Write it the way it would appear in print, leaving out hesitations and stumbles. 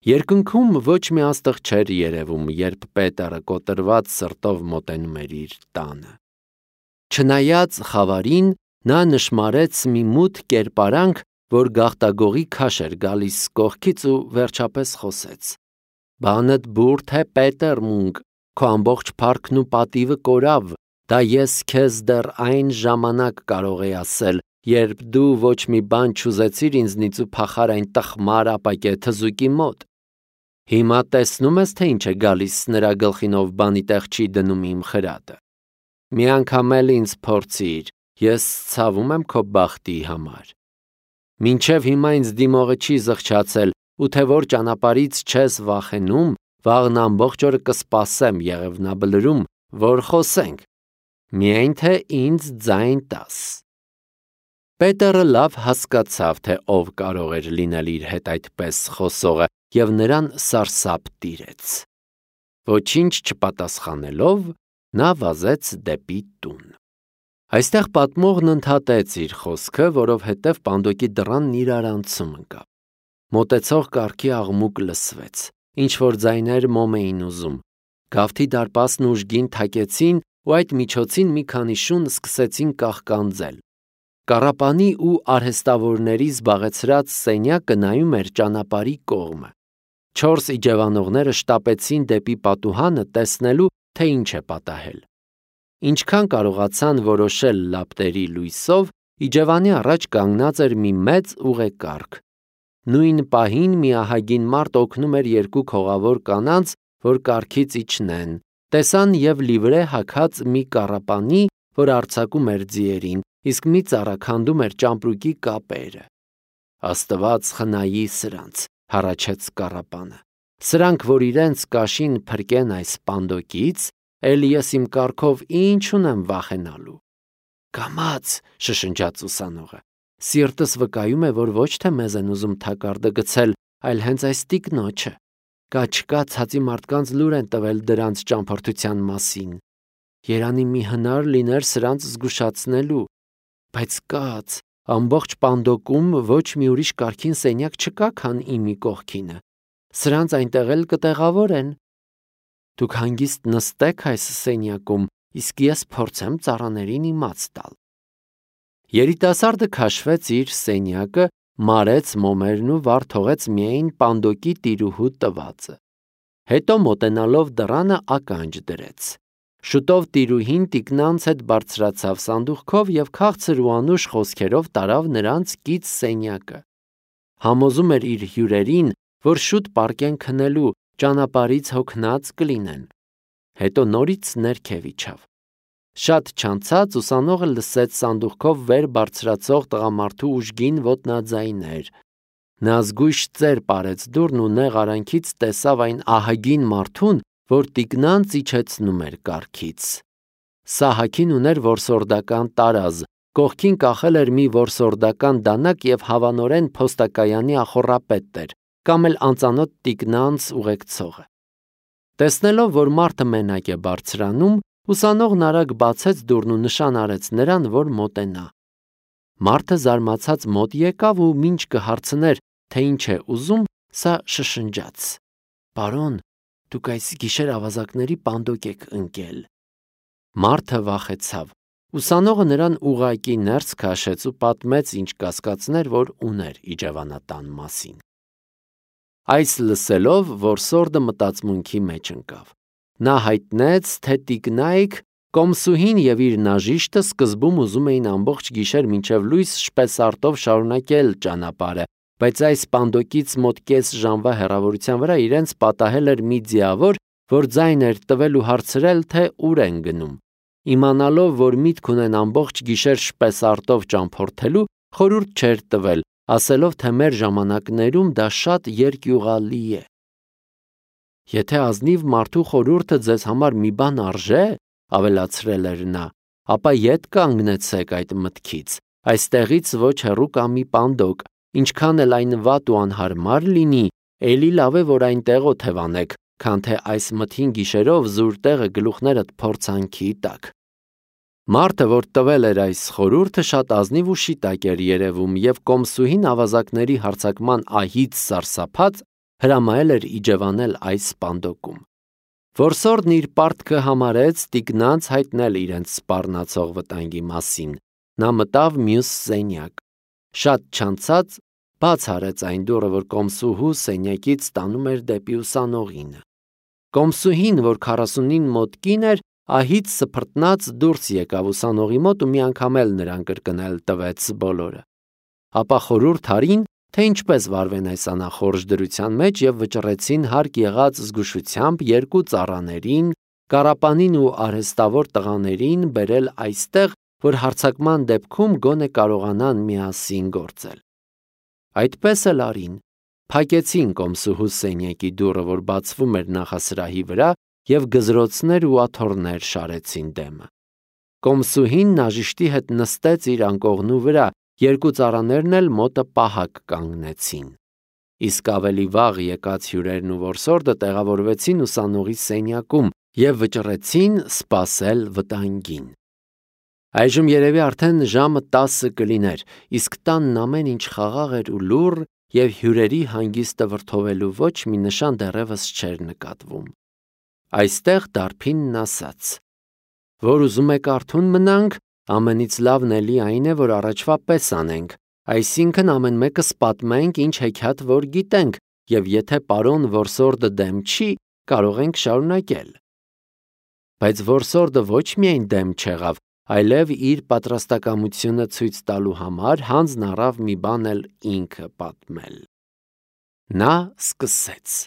Երկնքում ոչ մի աստղ չէր երևում, երբ Պետերը կոտրված սրտով մոտենում էր իր տանը։ Չնայած խավարին, նա նշմարեց մի մութ կերպարանք, որ գաղտագողի քաշ էր գալիս կողքից ու վերջապես խոսեց. «Բանդ բուրդ է, Պետեր մունք, քո ամբողջ փառքն ու պատիվը կորավ, դա ես քեզ դեռ այն ժամանակ կարող էի ասել, երբ դու ոչ մի բան չուզեցիր ինձնից ու փախար այն տխմար ապակե թզուկի մոտ։ Հիմա տեսնում ես, թե ինչ է գալիս նրա գլխին, ով բանի տեղ չի դնում իմ խրատը։ Մի անգամ էլ ինձ փորձիր, ես ցավում եմ քո բախտի համար։ Մինչև հիմա ինձ դիմողը չի զղջացել, ու թե որ ճանապարհից չես վախենում, վաղն ամբողջ օրը կսպասեմ Եղևնաբլրում, որ խոսենք, միայն թե ինձ ձայն տաս»։ Պետերը լավ հասկացավ, թե ով կարող էր լինել իր հետ այդպես խոսողը, և նրան սարսափ տիրեց։ Ոչինչ չպատասխանելով, նա վազեց դեպի տուն։ Այստեղ պատմողն ընդհատեց իր խոսքը, որովհետև պանդոկի դռանն իրարանցում ընկավ։ Մոտեցող կառքի աղմուկ լսվեց, ինչ-որ ձայներ մոմ էին ուզում։ Գավթի դարպասն ուժգին թակեցին ու այդ միջոցին մի քանի շուն սկսեցին կաղկանձել։ Կառապանի ու արհեստավորների զբաղեցրած սենյակը նայում էր ճանապարհի կողմը։ 4 իջևանողները շտապեցին դեպի պատուհանը տեսնելու, թե ինչ է պատահել։ Ինչքան կարողացան որոշել լապտերի լույսով, իջևանի առաջ կանգնած էր մի մեծ ուղեկարգ։ Նույն պահին մի ահագին մարդ օգնում էր 2 քողավոր կանանց, որ կառքից իջնեն, տեսան և լիվրե հագած մի կառապանի, որ արձակում էր ձիերին, իսկ մի ծառա քանդում էր ճամպրուկի կապերը։ «Աստված խնայի սրանց», հառաչեց կառապանը։ «Սրանք, որ իրենց կաշին փրկեն այս պանդոկից, էլ ես իմ կառքով ինչ ունեմ վախենալու»։ «Կամաց», շշնջաց ուսանողը, «սիրտս վկայում է, որ ոչ թե մեզ են ուզում թակարդը գցել, այլ հենց այս տիկնոջը։ Կա չկա ցածի մարդկանց լուր են տվել դրանց ճամփորդության մասին։ Երանի մի հնար լիներ սրանց զգուշացնելու, բայց կաց, ամբողջ պանդոկում ոչ մի ուրիշ կարգին սենյակ չկա, քան իմի կողքինը։ Սրանց այնտեղ էլ կտեղավորեն։ Դուք հանգիստ նստեք այս սենյակում, իսկ ես փորձեմ ծառաներին իմաց տալ»։ Երիտասարդը քաշվեց իր սենյակը, մարեց մոմերն ու վար թողեց միայն պանդոկի տիրուհու տվածը։ Հետո մոտենալով դռանը ականջ դրեց։ Շուտով տիրուհին տիկնանց հետ բարձրացավ սանդուղքով և քաղցր ու անուշ խոսքերով տարավ նրանց կից սենյակը։ Համոզում էր իր հյուրերին, որ շուտ պառկեն քնելու, ճանապարհից հոգնած կլինեն։ Հետո նորից ներքև իջավ։ Շատ չանցած ուսանողը լսեց սանդուղքով վեր բարձրացող տղամարդու ուժգին ոտնաձայներ։ Նա զգույշ ծեր պարեց դուռն ու նեղ արանքից տեսավ այն ահագին մարդուն, որ տիկնանց իջեցնում էր կառքից։ Սահաքին ուներ որսորդական տարազ, կողքին կախել էր մի որսորդական դանակ և հավանորեն փոստակայանի ախոռապետն էր, կամ էլ անծանոթ տիկնանց ուղեկցողը։ Տեսնելով, որ մարդը մենակ է բարձրանում, ուսանողն արագ բացեց դուռն ու նշան արեց նրան, որ մոտենա։ Մարդը զարմացած մոտ եկավ ու մինչ կհարցներ, թե ինչ է ուզում, սա շշնջաց. «Պարոն, դուք այս գիշեր ավազակների պանդոկ եք ընկել»։ Մարդը վախեցավ։ Ուսանողը նրան ուղղակի ներս քաշեց ու պատմեց, ինչ կասկածներ, որ ուներ իջևանատան մասին։ Այս լսելով, որսորդը մտածմունքի մեջ ընկավ։ Նա հայտնեց, թե տիկնայք, կոմսուհին և իր նաժիշտը սկզբում ուզում էին ամբողջ գիշեր մինչև լույս շպեսարտով շարունակել ճանապարհը, բայց այս պանդոկից մոտ կես ժամվա հեռավորության վրա իրենց պատահել էր մի ձիավոր, որ ձայն էր տվել ու հարցրել, թե ուր են գնում։ Իմանալով, որ միտք ունեն ամբողջ գիշեր շպեսարտով ճամփորդելու, խորհուրդ չէր տվել, ասելով, թե մեր ժամանակներում դա շատ երկյուղալի է։ «Եթե ազնիվ մարդու խորհուրդը ձեզ համար մի բան արժե, — ավելացրել էր նա, — ապա ետ կանգնեցեք այդ մտքից, այստեղից ոչ հեռու կա մի պանդոկ, ինչքան էլ այն վատ ու անհարմար լինի, էլի լավ է, որ այնտեղ օթևանեք, քան թե այս մթին գիշերով զուր տեղը գլուխներդ փորձանքի տակ»։ Մարդը, որ տվել էր այս խորհուրդը, շատ ազնիվ ու շիտակ էր երևում, և կոմսուհին ավազակների հարձակման ահից սարսափած հրամայել էր իջևանել այս սպանդոկում։ Որսորդն իր պարտքը համարեց տիկնանց հայտնել իրենց սպառնացող վտանգի մասին։ Նա մտավ մյուս սենյակ։ Շատ չանցած բաց արեց այն դուռը, որ կոմսուհու սենյակից տանում էր դեպի ուսանողինը։ Կոմսուհին, որ 40-ին մոտ կին էր, ահից սփռտնած դուրս եկավ ուսանողի մոտ ու մի անգամ էլ նրան կրկնել տվեց բոլորը։ Ապա խորհուրդ արին, թե ինչպես վարվեն այս անախորժ դրության մեջ և վճռեցին հարկ եղած զգուշությամբ երկու ծառաներին, կառապանին ու արհեստավոր տղաներին բերել այստեղ, որ հարձակման դեպքում գոնե կարողանան միասին գործել։ Այդպես էլ արին, փակեցին կոմսուհու սենյակի դուռը, որ բացվում էր նախասրահի վրա, և գզրոցներ ու աթոռներ շարեցին դեմը։ Կոմսուհին նաժիշտի հետ նստեց իր անկողնու վրա, երկու ծառաներն էլ մոտը պահակ կանգնեցին։ Իսկ ավելի վաղ եկած հյուրերն ու որսորդը տեղավորվեցին ուսանողի սենյակում և վճռեցին սպասել վտանգին։ Այժմ երևի արդեն ժամը 10 կլիներ, իսկ տանն ամեն ինչ խաղաղ էր ու լուռ, և հյուրերի հանգիստը վրդովելու ոչ մի նշան դեռևս չէր նկատվում։ Այստեղ դարբինն ասաց. «Որ ուզում եք արթուն մնանք, ամենից լավն էլի այն է, որ առաջվա պես անենք, այսինքն ամեն մեկս պատմենք, ինչ հեքիաթ որ գիտենք, և եթե պարոն որսորդը դեմ չի, կարող ենք շարունակել»։ Բայց որսորդը ոչ միայն դեմ չեղավ, այլև իր պատրաստակամությունը ցույց տալու համար հանձն առավ մի բան էլ ինքը պատմել։ Նա սկսեց.